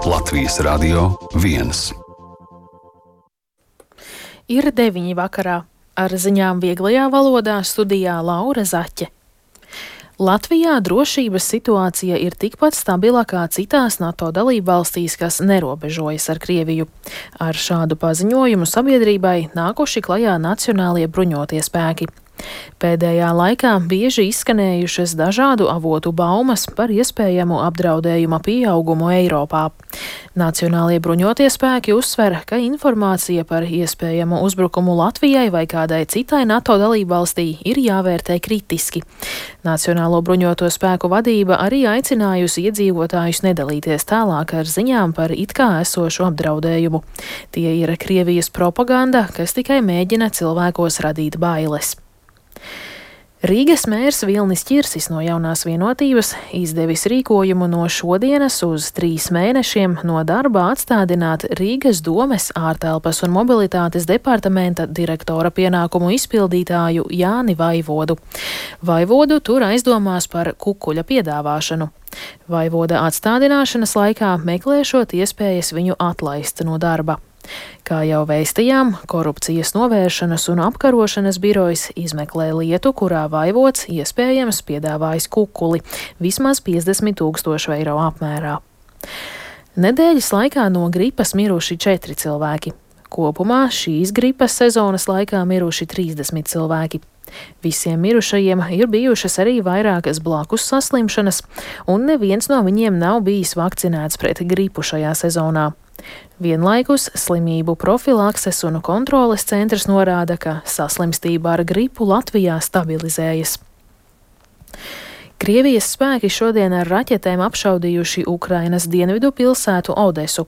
Latvijas Radio 1. Ir 9 vakarā. Ar ziņām vieglajā valodā studijā Laura Zaķe. Latvijā drošības situācija ir tikpat stabila kā citās NATO dalībvalstīs, kas nerobežojas ar Krieviju. Ar šādu paziņojumu sabiedrībai nākuši klajā Nacionālie bruņotie spēki. Pēdējā laikā bieži izskanējušas dažādu avotu baumas par iespējamu apdraudējuma pieaugumu Eiropā. Nacionālie bruņotie spēki uzsver, ka informācija par iespējamu uzbrukumu Latvijai vai kādai citai NATO dalībvalstī ir jāvērtē kritiski. Nacionālo bruņoto spēku vadība arī aicinājusi iedzīvotājus nedalīties tālāk ar ziņām par it kā esošu apdraudējumu. Tie ir Krievijas propaganda, kas tikai mēģina cilvēkos radīt bailes. Rīgas mērs Vilnis Ķirsis no Jaunās Vienotības izdevis rīkojumu no šodienas uz 3 mēnešiem no darba atstādināt Rīgas domes ārtelpas un mobilitātes departamenta direktora pienākumu izpildītāju Jāni Vaivodu. Vaivodu tur aizdomās par kukuļa piedāvāšanu. Vaivoda atstādināšanas laikā meklēšot iespējas viņu atlaist no darba. Kā jau vēstījām, Korupcijas novēršanas un apkarošanas birojas izmeklē lietu, kurā Vaivods iespējams piedāvājis kukuli vismaz 50 000 eiro apmērā. Nedēļas laikā no gripas miruši 4 cilvēki. Kopumā šīs gripas sezonas laikā miruši 30 cilvēki. Visiem mirušajiem ir bijušas arī vairākas blakus saslimšanas, un neviens no viņiem nav bijis vakcinēts pret gripu šajā sezonā. Vienlaikus slimību profilakses un kontroles centrs norāda, ka saslimstība ar gripu Latvijā stabilizējas. Krievijas spēki šodien ar raķetēm apšaudījuši Ukrainas dienvidu pilsētu Odesu.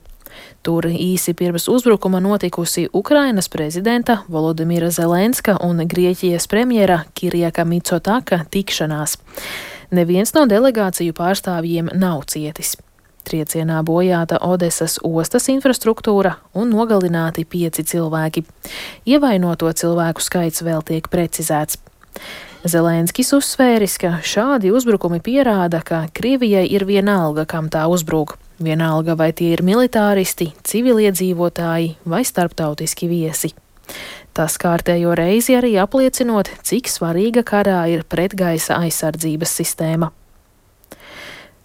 Tur īsi pirms uzbrukuma notikusi Ukrainas prezidenta Volodimira Zelenska un Grieķijas premjera Kirjaka Micotaka tikšanās. Neviens no delegāciju pārstāvjiem nav cietis. Triecienā bojāta Odesas ostas infrastruktūra un nogalināti 5 cilvēki. Ievainoto cilvēku skaits vēl tiek precizēts. Zelenskis uzsvēris, ka šādi uzbrukumi pierāda, ka Krievijai ir vienalga, kam tā uzbruk. Vienalga, vai tie ir militāristi, civiliedzīvotāji vai starptautiski viesi. Tas kārtējo reizi arī apliecinot, cik svarīga karā ir pretgaisa aizsardzības sistēma.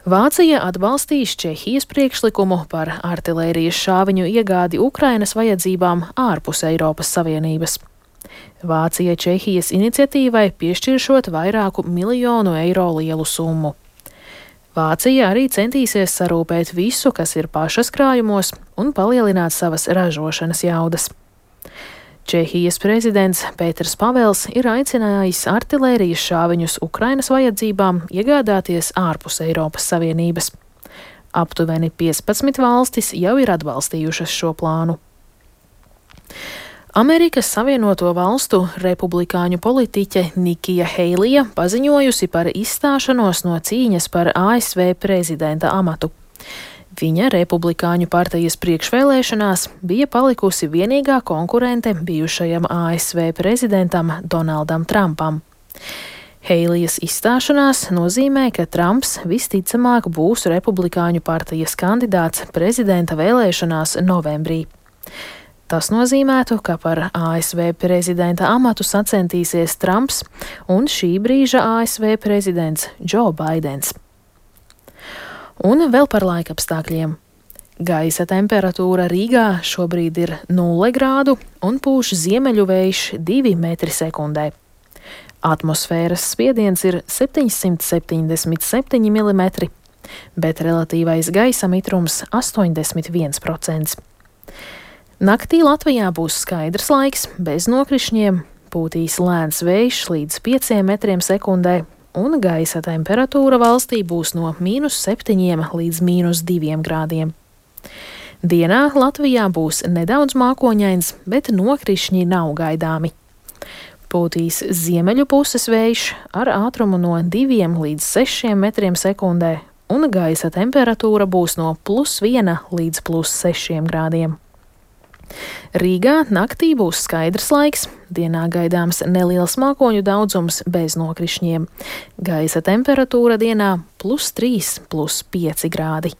Vācija atbalstīs Čehijas priekšlikumu par artilērijas šāviņu iegādi Ukrainas vajadzībām ārpus Eiropas Savienības. Vācija Čehijas iniciatīvai piešķiršot vairāku miljonu eiro lielu summu. Vācija arī centīsies sarūpēt visu, kas ir pašas krājumos, un palielināt savas ražošanas jaudas. Čehijas prezidents Pēters Pavels ir aicinājis artilērijas šāviņus Ukrainas vajadzībām iegādāties ārpus Eiropas Savienības. Aptuveni 15 valstis jau ir atbalstījušas šo plānu. Amerikas Savienoto Valstu republikāņu politiķe Nikija Heilija paziņojusi par izstāšanos no cīņas par ASV prezidenta amatu. Viņa republikāņu partijas priekšvēlēšanās bija palikusi vienīgā konkurente bijušajam ASV prezidentam Donaldam Trumpam. Heilijas izstāšanās nozīmē, ka Trumps visticamāk būs republikāņu partijas kandidāts prezidenta vēlēšanās novembrī. Tas nozīmētu, ka par ASV prezidenta amatu sacentīsies Trumps un šī brīža ASV prezidents Džo Baidens. Un vēl par laikapstākļiem. Gaisa temperatūra Rīgā šobrīd ir 0 grādu un pūš ziemeļu vējš 2 metri sekundē. Atmosfēras spiediens ir 777 mm, bet relatīvais gaisa mitrums 81%. Naktī Latvijā būs skaidrs laiks, bez nokrišņiem, pūtīs lēns vējš līdz 5 metriem sekundē, un gaisa temperatūra valstī būs no -7 līdz -2 grādiem. Dienā Latvijā būs nedaudz mākoņains, bet nokrišņi nav gaidāmi. Pūtīs ziemeļu puses vējš ar ātrumu no 2 līdz 6 metriem sekundē, un gaisa temperatūra būs no +1 līdz +6 grādiem. Rīgā naktī būs skaidrs laiks, dienā gaidāms neliels mākoņu daudzums bez nokrišņiem. Gaisa temperatūra dienā +3, +5 grādi.